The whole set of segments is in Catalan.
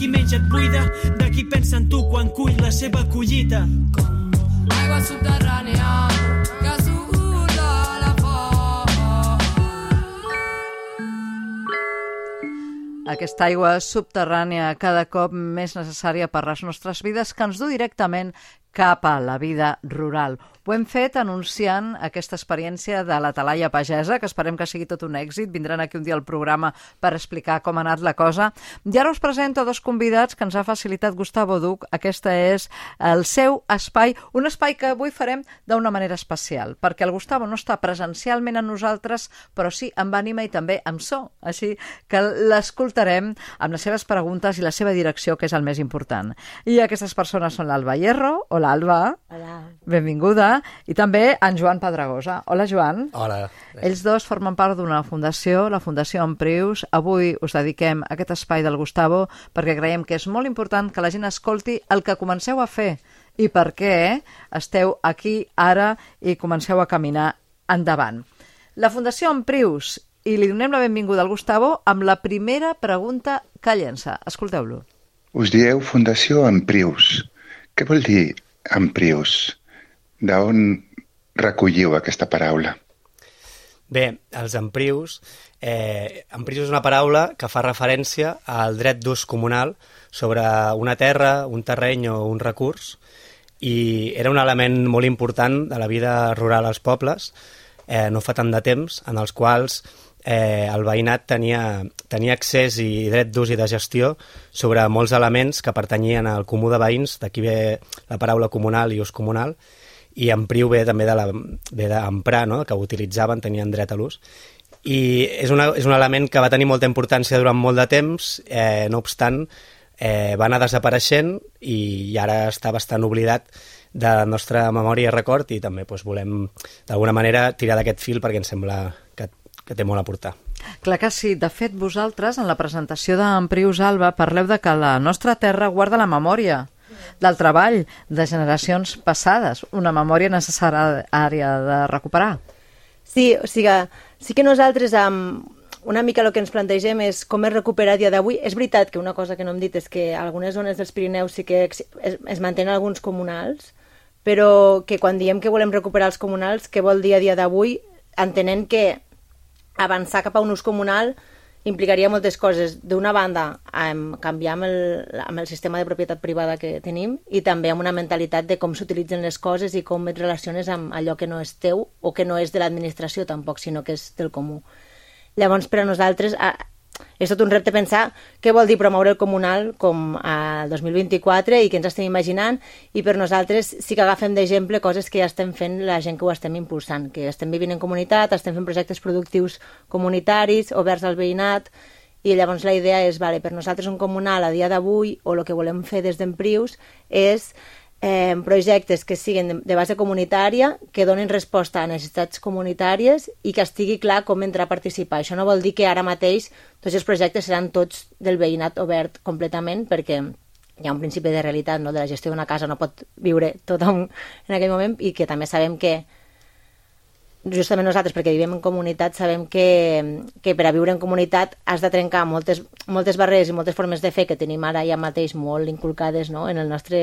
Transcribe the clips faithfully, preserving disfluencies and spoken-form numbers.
qui menja et buida, de qui pensa en tu quan cull la seva collita. Aigua subterrània que suda la foc. Aquesta aigua subterrània cada cop més necessària per les nostres vides que ens du directament cap a la vida rural. Ho hem fet anunciant aquesta experiència de la talaia pagesa, que esperem que sigui tot un èxit. Vindran aquí un dia al programa per explicar com ha anat la cosa. I ara us presento dos convidats que ens ha facilitat Gustavo Duc. Aquesta és el seu espai, un espai que avui farem d'una manera especial, perquè el Gustavo no està presencialment amb nosaltres, però sí amb ànima i també amb so. Així que l'escoltarem amb les seves preguntes i la seva direcció, que és el més important. I aquestes persones són l'Alba Hierro. Hola, Alba. Hola. Benvinguda. I també en Joan Pedragosa. Hola, Joan. Hola. Ells dos formen part d'una fundació, la Fundació Emprius. Avui us dediquem a aquest espai del Gustavo perquè creiem que és molt important que la gent escolti el que comenceu a fer i per què esteu aquí ara i comenceu a caminar endavant. La Fundació Emprius, i li donem la benvinguda al Gustavo amb la primera pregunta que llença. Escolteu-lo. Us dieu Fundació Emprius. Què vol dir Emprius? D'on recolliu aquesta paraula? Bé, els emprius, eh, emprius és una paraula que fa referència al dret d'ús comunal sobre una terra, un terreny o un recurs, i era un element molt important de la vida rural als pobles, eh, no fa tant de temps, en els quals eh, el veïnat tenia, tenia accés i dret d'ús i de gestió sobre molts elements que pertanyien al comú de veïns, d'aquí ve la paraula comunal i ús comunal, i empriu ve també de la, ve d'emprar, no? Que utilitzaven, tenien dret a l'ús. I és, una, és un element que va tenir molta importància durant molt de temps, eh, no obstant, eh, va anar desapareixent i, i ara està bastant oblidat de la nostra memòria i record, i també doncs, volem d'alguna manera tirar d'aquest fil perquè ens sembla que, que té molt a aportar. Clar que sí. De fet, vosaltres, en la presentació d'Emprius, Alba, parleu de que la nostra terra guarda la memòria del treball de generacions passades, una memòria necessària de recuperar. Sí, o sigui, sí que nosaltres um, una mica el que ens plantegem és com es recupera a dia d'avui. És veritat que una cosa que no hem dit és que a algunes zones dels Pirineus sí que es, es mantenen alguns comunals, però que quan diem que volem recuperar els comunals, què vol dir a dia d'avui? Entenent que avançar cap a un ús comunal implicaria moltes coses. D'una banda, um, canviar amb el, amb el sistema de propietat privada que tenim i també amb una mentalitat de com s'utilitzen les coses i com et relaciones amb allò que no és teu o que no és de l'administració tampoc, sinó que és del comú. Llavors, per a nosaltres, a, és tot un repte pensar què vol dir promoure el comunal com al dos mil vint-i-quatre i què ens estem imaginant, i per nosaltres sí que agafem d'exemple coses que ja estem fent la gent que ho estem impulsant, que estem vivint en comunitat, estem fent projectes productius comunitaris, oberts al veïnat, i llavors la idea és, vale, per nosaltres un comunal a dia d'avui, o el que volem fer des d'Emprius, és Eh, projectes que siguin de, de base comunitària, que donin resposta a necessitats comunitàries i que estigui clar com entrar a participar. Això no vol dir que ara mateix tots els projectes seran tots del veïnat obert completament, perquè hi ha un principi de realitat, no? De la gestió d'una casa no pot viure tothom en aquell moment, i que també sabem que justament nosaltres, perquè vivim en comunitat, sabem que, que per a viure en comunitat has de trencar moltes, moltes barreres i moltes formes de fer que tenim ara ja mateix molt inculcades, no? En la nostra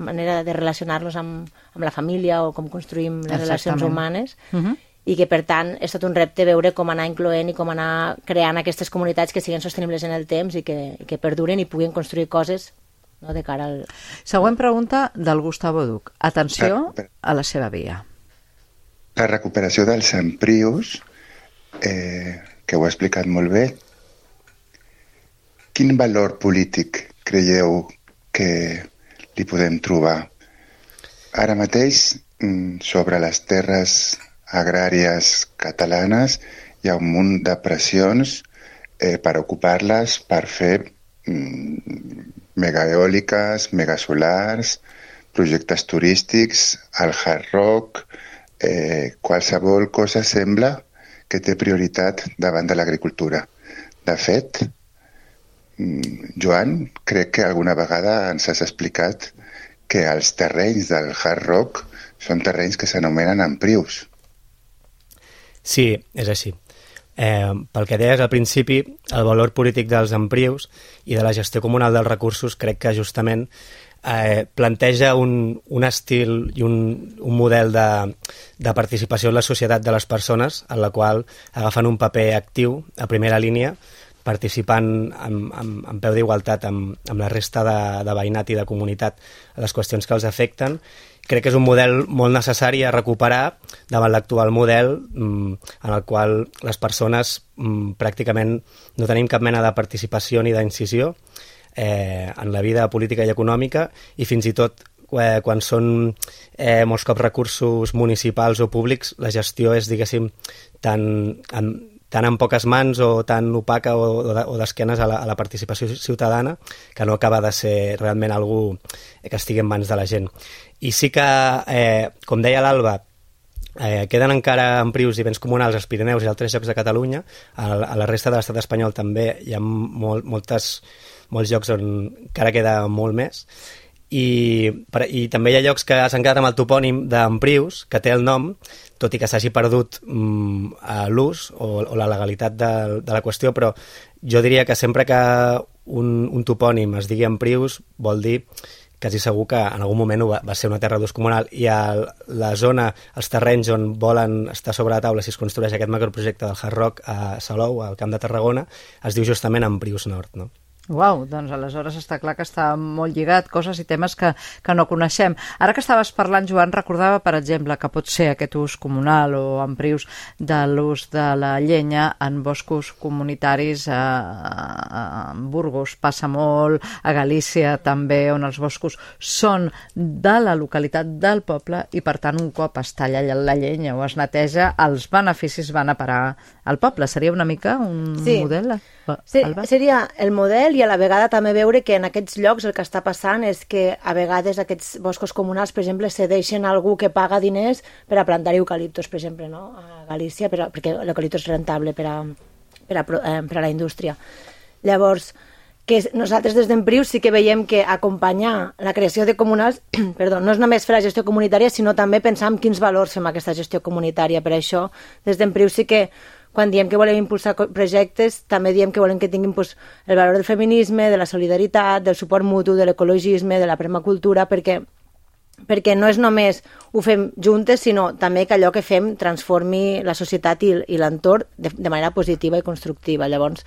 manera de relacionar-nos amb, amb la família o com construïm les Exactament. Relacions humanes, uh-huh. I que per tant és tot un repte veure com anar incloent i com anar creant aquestes comunitats que siguin sostenibles en el temps i que, i que perduren i puguin construir coses, no, de cara al... Següent pregunta del Gustavo Duc. Atenció a la seva via. La recuperació dels emprius, eh, que ho ha explicat molt bé, quin valor polític creieu que li podem trobar? Ara mateix, sobre les terres agràries catalanes, hi ha un munt de pressions eh, per ocupar-les, per fer mm, megaeòliques, megasolars, projectes turístics, el hard rock... Eh, qualsevol cosa sembla que té prioritat davant de l'agricultura. De fet, Joan, crec que alguna vegada ens has explicat que els terrenys del hard rock són terrenys que s'anomenen emprius. Sí, és així. Eh, pel que deies al principi, el valor polític dels emprius i de la gestió comunal dels recursos crec que justament eh, planteja un, un estil i un, un model de, de participació en la societat de les persones en la qual agafen un paper actiu a primera línia, participant amb, amb, amb peu d'igualtat amb, amb la resta de, de veïnat i de comunitat a les qüestions que els afecten. Crec que és un model molt necessari a recuperar davant l'actual model mm, en el qual les persones mm, pràcticament no tenim cap mena de participació ni d'incisió eh, en la vida política i econòmica, i fins i tot eh, quan són eh, molts cops recursos municipals o públics, la gestió és, diguéssim, tan... En, tan en poques mans o tan opaca o, o d'esquenes a, la, a la participació ciutadana que no acaba de ser realment algú que estigui en mans de la gent. I sí que, eh, com deia l'Alba, eh, queden encara emprius i béns comunals als Pirineus i altres llocs de Catalunya. A, a la resta de l'estat espanyol també hi ha molt, moltes, molts llocs on encara queda molt més. I, per, i també hi ha llocs que s'han quedat amb el topònim d'emprius, que té el nom, tot i que s'hagi perdut mm, l'ús o, o la legalitat de, de la qüestió, però jo diria que sempre que un, un topònim es digui emprius vol dir quasi segur que en algun moment va, va ser una terra d'ús comunal, i a la zona, els terrenys on volen estar sobre la taula si es construeix aquest macroprojecte del Hard Rock a Salou, al Camp de Tarragona, es diu justament Emprius Nord, no? Uau, doncs aleshores està clar que està molt lligat, coses i temes que, que no coneixem. Ara que estaves parlant, Joan, recordava, per exemple, que pot ser aquest ús comunal o emprius de l'ús de la llenya en boscos comunitaris a, a Burgos, passa molt, a Galícia també, on els boscos són de la localitat del poble i, per tant, un cop es talla la llenya o es neteja, els beneficis van a parar al poble. Seria una mica un sí. model? Sí, seria el model, i a la vegada també veure que en aquests llocs el que està passant és que a vegades aquests boscos comunals, per exemple, cedeixen a algú que paga diners per a plantar eucaliptos, per exemple, no? A Galícia, per a, perquè l'eucalipto és rentable per a, per a, eh, per a la indústria. Llavors, que nosaltres des d'Emprius sí que veiem que acompanyar la creació de comunals, perdó, no és només fer la gestió comunitària, sinó també pensar en quins valors fem aquesta gestió comunitària. Per això, des d'Emprius sí que quan diem que volem impulsar projectes, també diem que volem que tinguin pues, el valor del feminisme, de la solidaritat, del suport mutu, de l'ecologisme, de la permacultura, perquè, perquè no és només ho fem juntes, sinó també que allò que fem transformi la societat i, i l'entorn de, de manera positiva i constructiva. Llavors,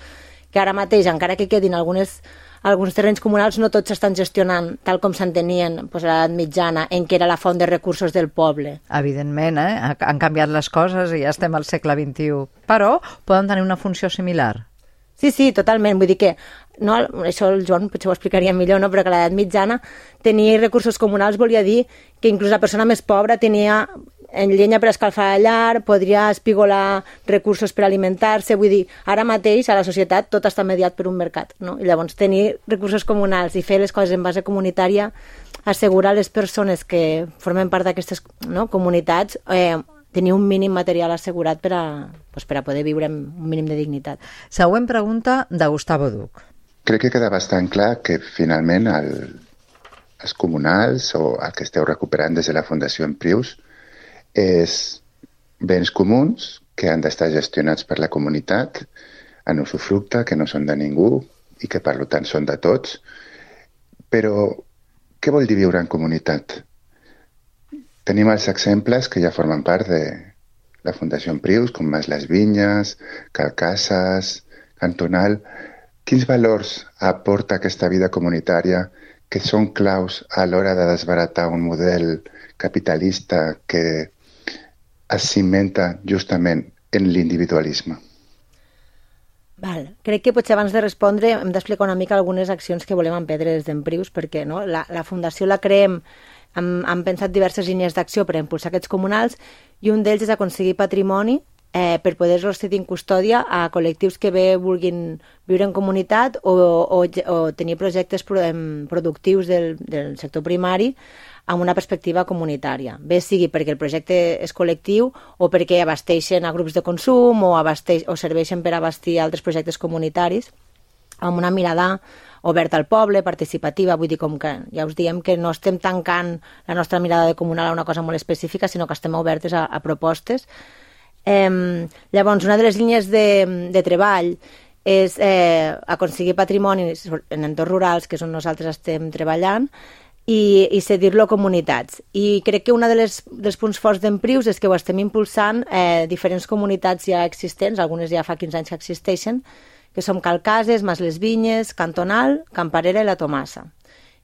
que ara mateix, encara que quedin algunes, alguns terrenys comunals, no tots s'estan gestionant tal com s'entenien pues, a l'edat mitjana, en què era la font de recursos del poble. Evidentment, eh? Han canviat les coses i ja estem al segle vint-i-u, però poden tenir una funció similar. Sí, sí, totalment. Vull dir que, no, això el Joan potser ho explicaria millor, no? Però que a l'edat mitjana tenir recursos comunals volia dir que inclús la persona més pobra tenia en llenya per escalfar la llar, podria espigolar recursos per alimentar-se. Vull dir, ara mateix a la societat tot està mediat per un mercat, no? I llavors tenir recursos comunals i fer les coses en base comunitària assegura a les persones que formen part d'aquestes no, comunitats eh, tenir un mínim material assegurat per a, pues, per a poder viure amb un mínim de dignitat. Següent pregunta de Gustavo Duc. Crec que queda bastant clar que finalment el, els comunals o el que esteu recuperant des de la Fundació Emprius és béns comuns que han d'estar gestionats per la comunitat en usufructe, que no són de ningú i que per tant són de tots. Però què vol dir viure en comunitat? Tenim els exemples que ja formen part de la Fundació Emprius, com Mas les Vinyes, Calcasses, Cantonal. Quins valors aporta aquesta vida comunitària que són claus a l'hora de desbaratar un model capitalista que es cimenta justament en l'individualisme? Val. Crec que potser abans de respondre hem d'explicar una mica algunes accions que volem emprendre des d'Emprius, perquè no? la, la fundació la creem, hem, hem pensat diverses línies d'acció per impulsar aquests comunals, i un d'ells és aconseguir patrimoni eh, per poder-los cedir en custòdia a col·lectius que bé vulguin viure en comunitat o, o, o tenir projectes productius del, del sector primari amb una perspectiva comunitària. Bé sigui perquè el projecte és col·lectiu o perquè abasteixen a grups de consum o, abasteix, o serveixen per abastir altres projectes comunitaris, amb una mirada oberta al poble, participativa. Vull dir, com que ja us diem que no estem tancant la nostra mirada de comunal a una cosa molt específica, sinó que estem obertes a, a propostes. Eh, llavors, una de les línies de, de treball és eh, aconseguir patrimoni en entorns rurals, que és on nosaltres estem treballant, i, i cedir-lo a comunitats. I crec que un de les, dels punts forts d'Emprius és que ho estem impulsant eh, diferents comunitats ja existents, algunes ja fa quinze anys que existeixen, que som Calcases, Mas les Vinyes, Cantonal, Camparera i la Tomassa.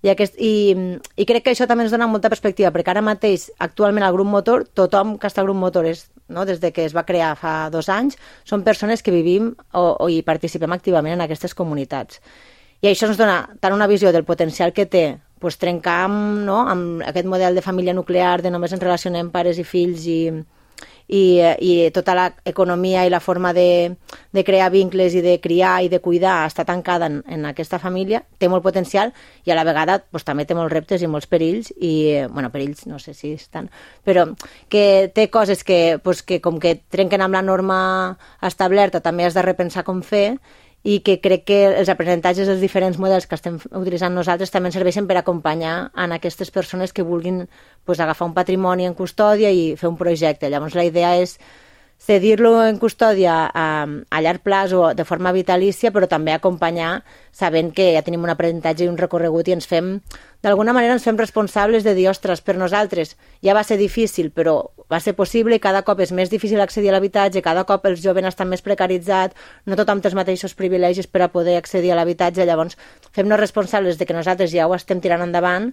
I, aquest, i, I crec que això també ens dona molta perspectiva, perquè ara mateix, actualment, al grup motor, tothom que està al grup motor, és, no, des de que es va crear fa dos anys, són persones que vivim o, o hi participem activament en aquestes comunitats. I això ens dona tant una visió del potencial que té pues, trencar amb, no, amb aquest model de família nuclear, de només ens relacionem pares i fills i... I, i tota l'economia i la forma de, de crear vincles i de criar i de cuidar està tancada en, en aquesta família, té molt potencial i a la vegada pues, també té molts reptes i molts perills i, bueno, perills no sé si estan, però que té coses que, pues, que com que trenquen amb la norma establerta també has de repensar com fer i que crec que els aprenentatges dels diferents models que estem utilitzant nosaltres també ens serveixen per acompanyar en aquestes persones que vulguin pues, agafar un patrimoni en custòdia i fer un projecte. Llavors la idea és cedir-lo en custòdia a, a llarg plaç o de forma vitalícia, però també acompanyar sabent que ja tenim un aprenentatge i un recorregut i ens fem, d'alguna manera ens fem responsables de dir, ostres, per nosaltres ja va ser difícil, però va ser possible i cada cop és més difícil accedir a l'habitatge, cada cop els joves estan més precaritzats, no tothom té els mateixos privilegis per a poder accedir a l'habitatge, llavors fem-nos responsables de que nosaltres ja ho estem tirant endavant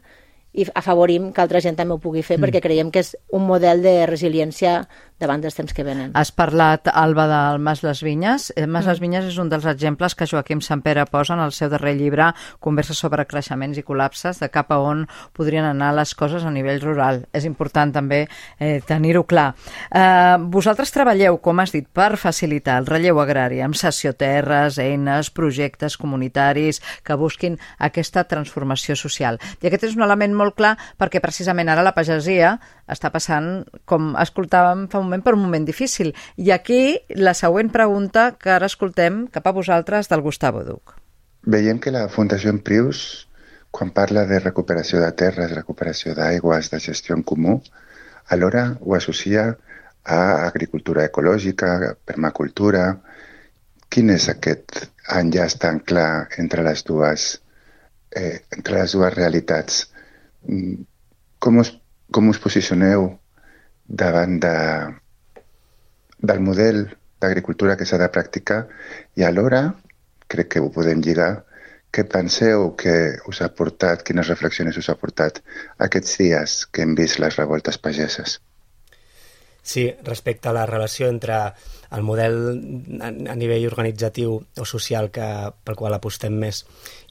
i afavorim que altra gent també ho pugui fer, mm. perquè creiem que és un model de resiliència davant dels temps que venen. Has parlat, Alba, del Mas les Vinyes. El Mas mm. les Vinyes és un dels exemples que Joaquim Sampere posa en el seu darrer llibre, Converses sobre creixements i col·lapses, de cap a on podrien anar les coses a nivell rural. És important també eh, tenir-ho clar. Eh, vosaltres treballeu, com has dit, per facilitar el relleu agrari amb cessioterres, eines, projectes comunitaris que busquin aquesta transformació social. I aquest és un element molt clar perquè precisament ara la pagesia està passant, com escoltàvem fa un moment, per un moment difícil. I aquí la següent pregunta que ara escoltem cap a vosaltres del Gustavo Duc. Veiem que la Fundació Emprius, quan parla de recuperació de terres, recuperació d'aigües, de gestió en comú, alhora ho associa a agricultura ecològica, permacultura. Quin és aquest enllaç tan clar entre les dues, eh, entre les dues realitats? Com us, com us posicioneu davant de, del model d'agricultura que s'ha de practicar i alhora, crec que ho podem lligar, què penseu que us ha portat, quines reflexions us ha portat aquests dies que hem vist les revoltes pageses? Sí, respecte a la relació entre el model a nivell organitzatiu o social que, pel qual apostem més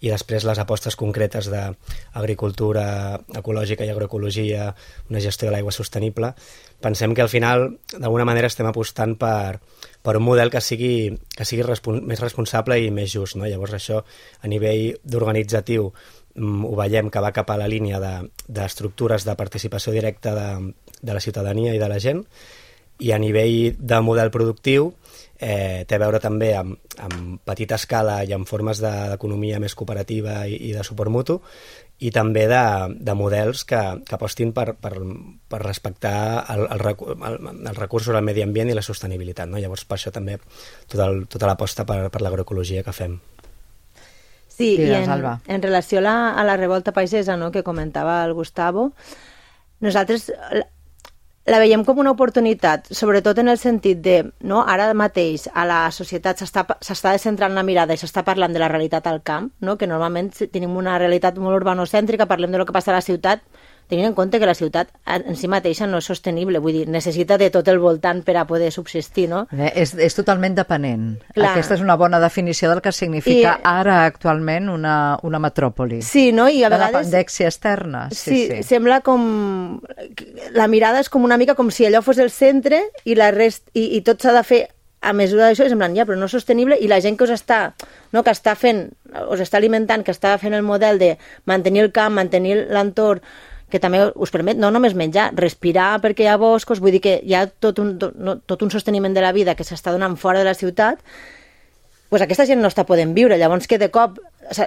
i després les apostes concretes d'agricultura ecològica i agroecologia, una gestió de l'aigua sostenible, pensem que al final d'alguna manera estem apostant per, per un model que sigui, que sigui respon, més responsable i més just, no? Llavors això a nivell d'organitzatiu ho veiem que va cap a la línia d'estructures de, de participació directa de, de la ciutadania i de la gent, i a nivell de model productiu eh, té a veure també amb, amb petita escala i amb formes d'economia més cooperativa i, i de suport mutu, i també de, de models que, que apostin per, per, per respectar el, el, el, el recursos al medi ambient i la sostenibilitat, no? Llavors per això també tot el, tota l'aposta per, per l'agroecologia que fem. Sí, i en, en relació a la, a la revolta pagesa, no?, que comentava el Gustavo, nosaltres la, la veiem com una oportunitat, sobretot en el sentit de, no, ara mateix a la societat s'està descentrant la mirada i s'està parlant de la realitat al camp, no?, que normalment tenim una realitat molt urbanocèntrica, parlem de lo que passa a la ciutat, tenint en compte que la ciutat en si mateixa no és sostenible, vull dir, necessita de tot el voltant per a poder subsistir, no? Eh, és, és totalment dependent. Clar. Aquesta és una bona definició del que significa I, ara actualment una, una metròpoli. Sí, no? I a la vegades... dependència externa. Sí, sí, sí, sembla com... La mirada és com una mica com si allò fos el centre i, la rest... I, i tot s'ha de fer a mesura d'això, és en plan, ja, però no és sostenible, i la gent que us està, no, que està fent, us està alimentant, que està fent el model de mantenir el camp, mantenir l'entorn, que també us permet no només menjar, respirar perquè hi ha boscos, vull dir que hi ha tot un, tot, no, tot un sosteniment de la vida que s'està donant fora de la ciutat, pues aquesta gent no està podent viure. Llavors que de cop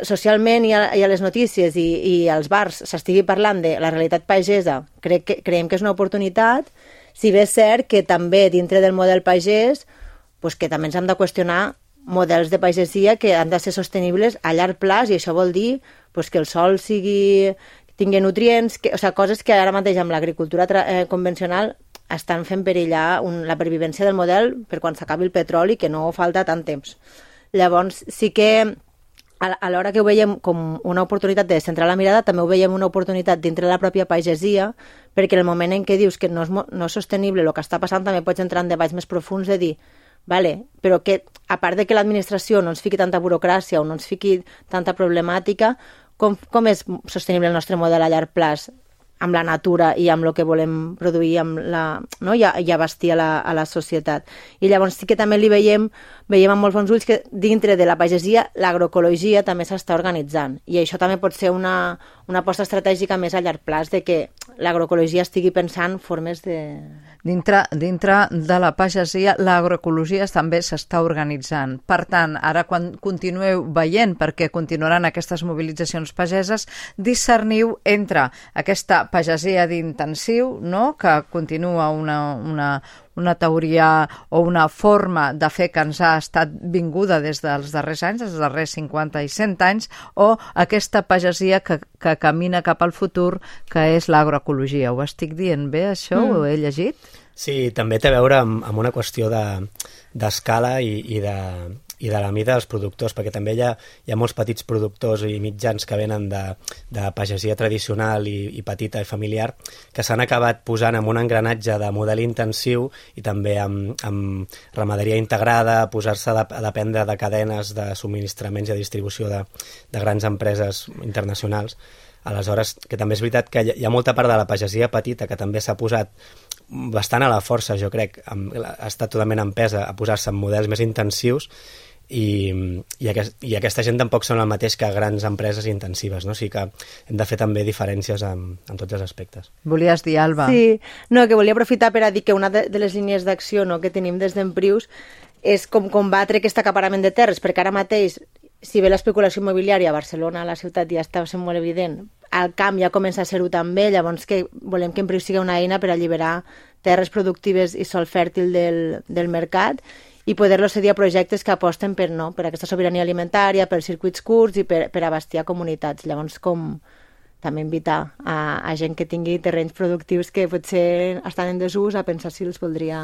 socialment i a, i a les notícies i, i als bars s'estigui parlant de la realitat pagesa, crec que, creiem que és una oportunitat Si bé és cert que també dintre del model pagès, pues que també ens hem de qüestionar models de pagesia que han de ser sostenibles a llarg plaç, i això vol dir pues, que el sòl sigui, tingui nutrients, que, o sigui, coses que ara mateix amb l'agricultura eh, convencional estan fent perillar un, la pervivència del model per quan s'acabi el petroli, que no falta tant temps. Llavors, sí que a l'hora que ho veiem com una oportunitat de centrar la mirada, també ho veiem una oportunitat dintre de la pròpia pagesia, perquè en el moment en què dius que no és, no és sostenible el que està passant, també pots entrar en debats més profuns de dir, vale, però que a part de que l'administració no ens fiqui tanta burocràcia o no ens fiqui tanta problemàtica, com, com és sostenible el nostre model a llarg plaç amb la natura i amb el que volem produir amb la, no? I, i abastir a la, a la societat. I llavors sí que també li veiem, veiem amb molts bons ulls que dintre de la pagesia l'agroecologia també s'està organitzant, i això també pot ser una, una aposta estratègica més a llarg plaç, de que l'agroecologia estigui pensant formes de... Dintre, dintre de la pagesia, l'agroecologia també s'està organitzant. Per tant, ara quan continueu veient, perquè continuaran aquestes mobilitzacions pageses, discerniu entre aquesta pagesia d'intensiu, no?, que continua una, una, una teoria o una forma de fer que ens ha estat vinguda des dels darrers anys, des dels darrers cinquanta i cent anys, o aquesta pagesia que, que camina cap al futur, que és l'agroecologia. Ho estic dient bé, això? Mm. Ho he llegit? Sí, també té a veure amb, amb una qüestió d'escala de, i, i, de, i de la mida dels productors, perquè també hi ha, hi ha molts petits productors i mitjans que venen de, de pagesia tradicional i, i petita i familiar, que s'han acabat posant en un engranatge de model intensiu i també amb, amb ramaderia integrada, posar-se a, a dependre de cadenes de subministraments i de distribució de, de grans empreses internacionals. Aleshores, que també és veritat que hi ha molta part de la pagesia petita que també s'ha posat bastant a la força, jo crec, amb, ha estat totalment empesa a posar-se en models més intensius, i, i, aquest, i aquesta gent tampoc són el mateix que grans empreses intensives, no? O sigui que hem de fer també diferències en, en tots els aspectes. Volies dir, Alba? Sí, no, que volia aprofitar per a dir que una de, de les línies d'acció, no, que tenim des d'Emprius és com combatre aquest acaparament de terres, perquè ara mateix, si bé l'especulació immobiliària a Barcelona, a la ciutat, ja està sent molt evident, al camp ja comença a ser-ho també, llavors que volem que Emprius sigui una eina per alliberar terres productives i sol fèrtil del, del mercat i poder-los cedir a projectes que aposten per, no, per aquesta sobirania alimentària, per circuits curts i per, per abastir a comunitats. Llavors, com també invitar a, a gent que tingui terrenys productius que potser estan en desús a pensar si els voldria...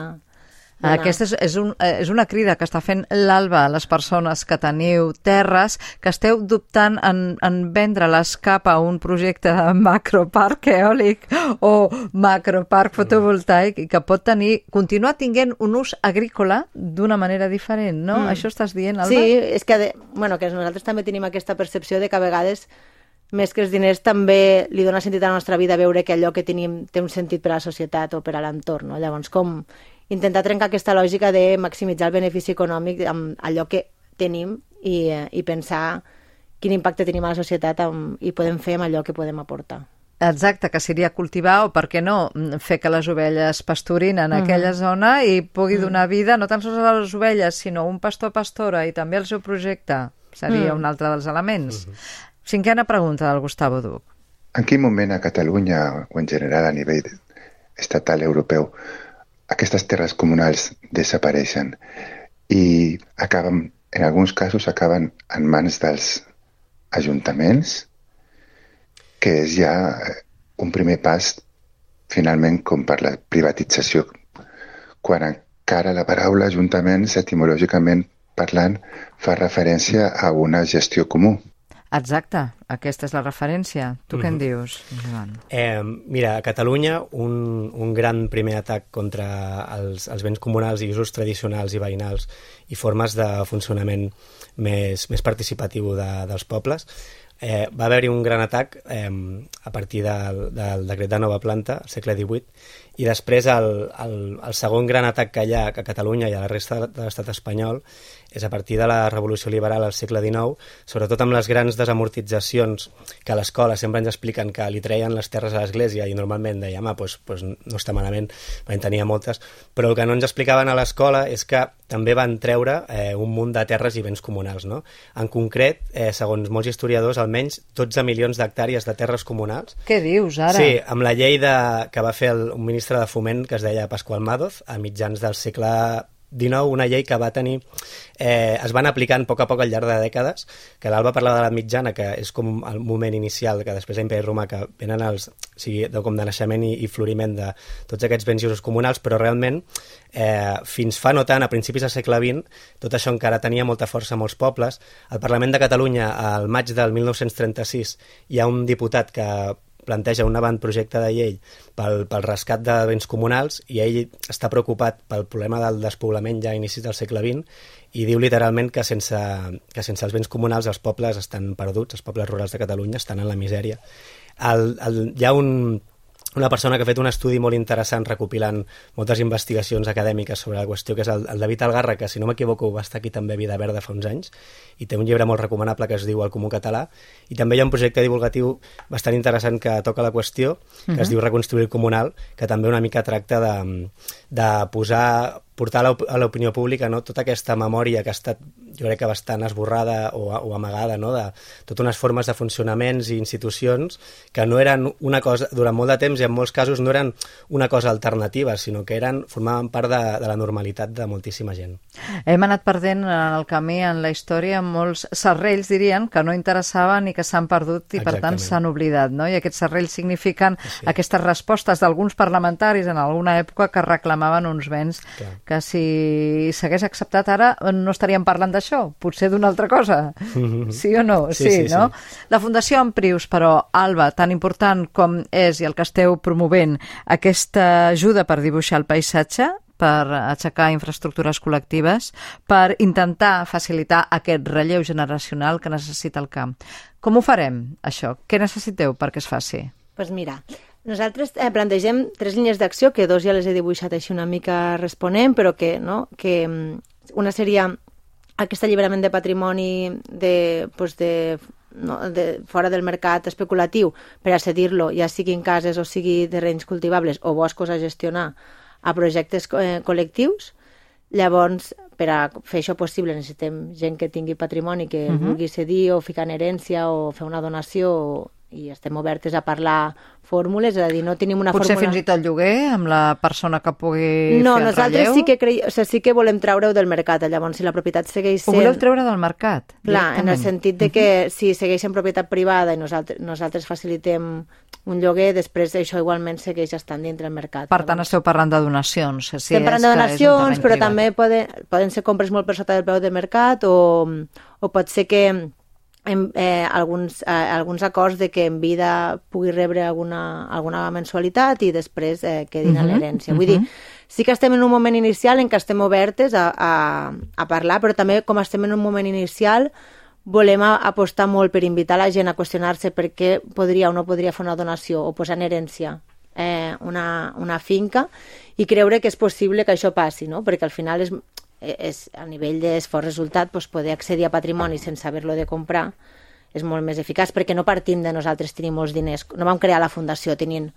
Aquesta és, és, un, és una crida que està fent l'Alba a les persones que teniu terres, que esteu dubtant en, en vendre-les cap a un projecte de macroparc eòlic o macroparc fotovoltaic i que pot tenir, continuar tinguent un ús agrícola d'una manera diferent, no? Mm. Això estàs dient, Alba? Sí, és que, de, bueno, que nosaltres també tenim aquesta percepció de que a vegades més que els diners també li dona sentit a la nostra vida veure que allò que tenim té un sentit per a la societat o per a l'entorn, no? Llavors, com intentar trencar aquesta lògica de maximitzar el benefici econòmic amb allò que tenim i, i pensar quin impacte tenim a la societat amb, i podem fer amb allò que podem aportar. Exacte, que seria cultivar o, per què no, fer que les ovelles pasturin en mm-hmm. aquella zona i pugui mm. donar vida no tan sols a les ovelles, sinó un pastor-pastora i també el seu projecte. Seria mm. un altre dels elements. Mm-hmm. Cinquena pregunta del Gustavo Duc. En quin moment a Catalunya o en general a nivell estatal europeu aquestes terres comunals desapareixen i acaben, en alguns casos acaben en mans dels ajuntaments, que és ja un primer pas finalment com per la privatització, quan encara la paraula ajuntaments etimològicament parlant fa referència a una gestió comú. Exacte, aquesta és la referència. Tu mm-hmm. què en dius, Joan? Eh, mira, a Catalunya un, un gran primer atac contra els, els béns comunals i usos tradicionals i veïnals i formes de funcionament més, més participatiu de, dels pobles. Eh, va haver-hi un gran atac eh, a partir del, del decret de nova planta, al segle divuit, i després el, el, el segon gran atac que hi ha a Catalunya i a la resta de l'estat espanyol és a partir de la revolució liberal al segle dinou, sobretot amb les grans desamortitzacions que a l'escola sempre ens expliquen que li treien les terres a l'església i normalment dèiem, ah, doncs, doncs no està malament, en tenia moltes, però el que no ens explicaven a l'escola és que també van treure eh, un munt de terres i béns comunals, no? En concret, eh, segons molts historiadors, el almenys dotze milions d'hectàrees de terres comunals. Què dius, ara? Sí, amb la llei de, que va fer el, un ministre de Foment que es deia Pasqual Madoz a mitjans del segle dinou, una llei que va tenir... Eh, es van aplicant a poc a poc al llarg de dècades, que l'Alba parlava de l'edat mitjana, que és com el moment inicial, que després a l'Imperi Romà, que venen els... O sigui, de, com de naixement i, i floriment de tots aquests béns i usos comunals, però realment, eh, fins fa no tant, a principis del segle vint, tot això encara tenia molta força a molts pobles. Al Parlament de Catalunya, al maig del mil nou-cents trenta-sis, hi ha un diputat que planteja un avantprojecte de llei pel, pel rescat de béns comunals i ell està preocupat pel problema del despoblament ja a inicis del segle vint i diu literalment que sense, que sense els béns comunals els pobles estan perduts, els pobles rurals de Catalunya estan en la misèria. El, el, hi ha un, una persona que ha fet un estudi molt interessant recopilant moltes investigacions acadèmiques sobre la qüestió, que és el, el David Algarra, que si no m'equivoco va estar aquí també a Vida Verda fa uns anys, i té un llibre molt recomanable que es diu El Comú Català, i també hi ha un projecte divulgatiu bastant interessant que toca la qüestió, que uh-huh. es diu Reconstruir el Comunal, que també una mica tracta de, de posar, portar a l'opinió pública, no, tota aquesta memòria que ha estat, jo crec que bastant esborrada o, o amagada, no, de totes unes formes de funcionaments i institucions que no eren una cosa, durant molt de temps i en molts casos no eren una cosa alternativa, sinó que eren, formaven part de, de la normalitat de moltíssima gent. Hem anat perdent en el camí, en la història, molts serrells, dirien, que no interessaven i que s'han perdut i, per tant, s'han oblidat, no? I aquests serrells signifiquen sí. aquestes respostes d'alguns parlamentaris en alguna època que reclamaven uns béns Clar. que si s'hagués acceptat ara no estaríem parlant d'això, potser d'una altra cosa. Mm-hmm. Sí o no? Sí, sí, sí, no? Sí. La Fundació Emprius, però, Alba, tan important com és i el que esteu promovent, aquesta ajuda per dibuixar el paisatge, per aixecar infraestructures col·lectives, per intentar facilitar aquest relleu generacional que necessita el camp. Com ho farem, això? Què necessiteu perquè es faci? Doncs pues mira, nosaltres eh, plantegem tres línies d'acció, que dos ja les he dibuixat així una mica responent, però que, no, que una seria aquest alliberament de patrimoni de, pues de, no, de fora del mercat especulatiu per a cedir-lo, ja sigui en cases o sigui terrenys cultivables o boscos a gestionar, a projectes eh, col·lectius. Llavors, per a fer això possible necessitem gent que tingui patrimoni, que uh-huh. vulgui cedir o ficar en herència o fer una donació, i estem obertes a parlar fórmules, és a dir, no tenim una Potser fórmula... fins i tot lloguer, amb la persona que pugui no, fer el nosaltres relleu? sí que, cre... o sigui, sí que volem treure-ho del mercat, llavors si la propietat segueix sent... Ho voleu treure del mercat? Clar, en el sentit de que uh-huh. si segueix en propietat privada i nosaltres, nosaltres facilitem un lloguer, després això igualment segueix estant dintre del mercat. Per tant, esteu parlant de donacions. Si Estem parlant de donacions, però privat. També poden, poden ser compres molt per sota del preu del mercat o, o pot ser que en, eh, alguns, eh, alguns acords de que en vida pugui rebre alguna, alguna mensualitat i després eh, quedin uh-huh, a l'herència. Vull uh-huh. dir, sí que estem en un moment inicial en què estem obertes a, a, a parlar, però també com estem en un moment inicial volem a, apostar molt per invitar la gent a qüestionar-se per què podria o no podria fer una donació o posar en herència eh, una, una finca i creure que és possible que això passi, no? Perquè al final és... és, a nivell d'esforç resultat, doncs poder accedir a patrimoni sense haver-lo de comprar és molt més eficaç, perquè no partim de nosaltres tenir molts diners, no vam crear la fundació tenint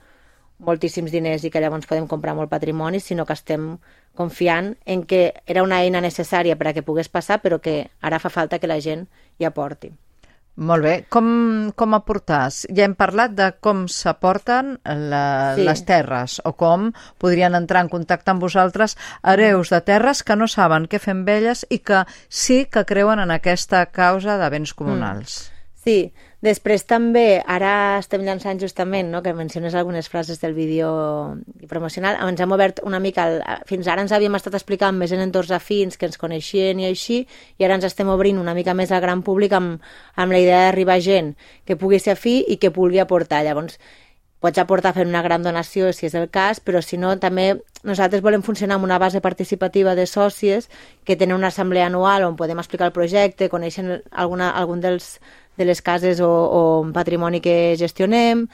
moltíssims diners i que llavors podem comprar molt patrimoni, sinó que estem confiant en que era una eina necessària per a que pogués passar, però que ara fa falta que la gent hi aporti. Molt bé. Com, com aportar? Ja hem parlat de com s'aporten la, sí. les terres o com podrien entrar en contacte amb vosaltres hereus de terres que no saben què fer amb elles i que sí que creuen en aquesta causa de béns comunals. Mm. Sí. Després també, ara estem llançant justament, no, que menciones algunes frases del vídeo promocional, ens hem obert una mica, el, fins ara ens havíem estat explicant més en entorns afins que ens coneixien i així, i ara ens estem obrint una mica més al gran públic amb, amb la idea d'arribar gent que pugui ser afí i que pugui aportar. Llavors, pots aportar fent una gran donació si és el cas, però si no, també nosaltres volem funcionar amb una base participativa de sòcies que tenen una assemblea anual on podem explicar el projecte, coneixen alguna, algun dels de les cases o, o patrimoni que gestionem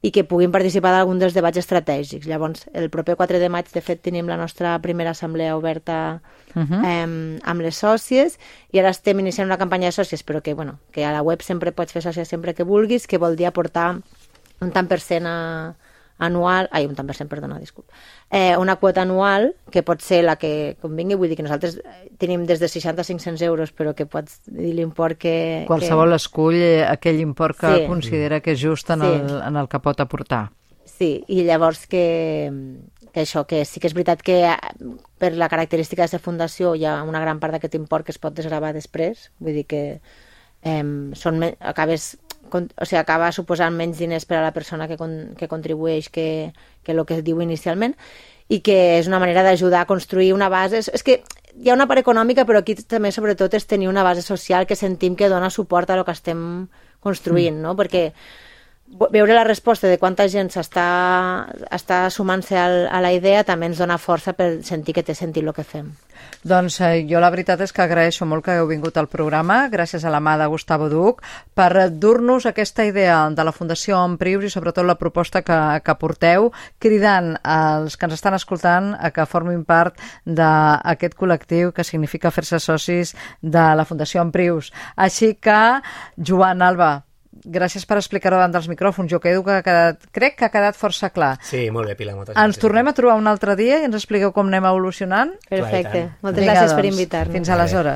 i que puguin participar d'algun dels debats estratègics. Llavors, el proper quatre de maig, de fet, tenim la nostra primera assemblea oberta uh-huh. eh, amb les sòcies i ara estem iniciant una campanya de sòcies, però que, bueno, que a la web sempre pots fer sòcies sempre que vulguis, que vol dir aportar un tant per cent a, anual, ai, un tant per cent, perdona, disculpa, eh, una quota anual, que pot ser la que convingui, vull dir que nosaltres tenim des de seixanta a cinc-cents euros, però que pots dir l'import que... Qualsevol que... escull aquell import que Sí. considera que és just en, Sí. el, en el que pot aportar. Sí, i llavors que, que això, que sí que és veritat que per la característica de la fundació hi ha una gran part d'aquest import que es pot desgravar després, vull dir que eh, són, acabes, o sigui, acaba suposant menys diners per a la persona que, con, que contribueix que, que el que es diu inicialment, i que és una manera d'ajudar a construir una base. És, és que hi ha una part econòmica, però aquí també sobretot és tenir una base social que sentim que dona suport a el que estem construint, no? Perquè veure la resposta de quanta gent s'està està sumant-se a la idea també ens dona força per sentir que té sentit el que fem. Doncs eh, jo la veritat és que agraeixo molt que heu vingut al programa, gràcies a la mà de Gustavo Duch, per dur-nos aquesta idea de la Fundació Emprius i sobretot la proposta que, que porteu, cridant als que ens estan escoltant a que formin part d'aquest col·lectiu que significa fer-se socis de la Fundació Emprius. Així que, Joan, Alba, gràcies per explicar-ho davant dels micròfons. Jo quedo que ha quedat, crec que ha quedat força clar. Sí, molt bé, Pilar, moltes gràcies. Ens tornem a trobar un altre dia i ens expliqueu com anem evolucionant. Perfecte. Clar, Moltes Vinga, gràcies per doncs, invitar-nos. fins aleshores.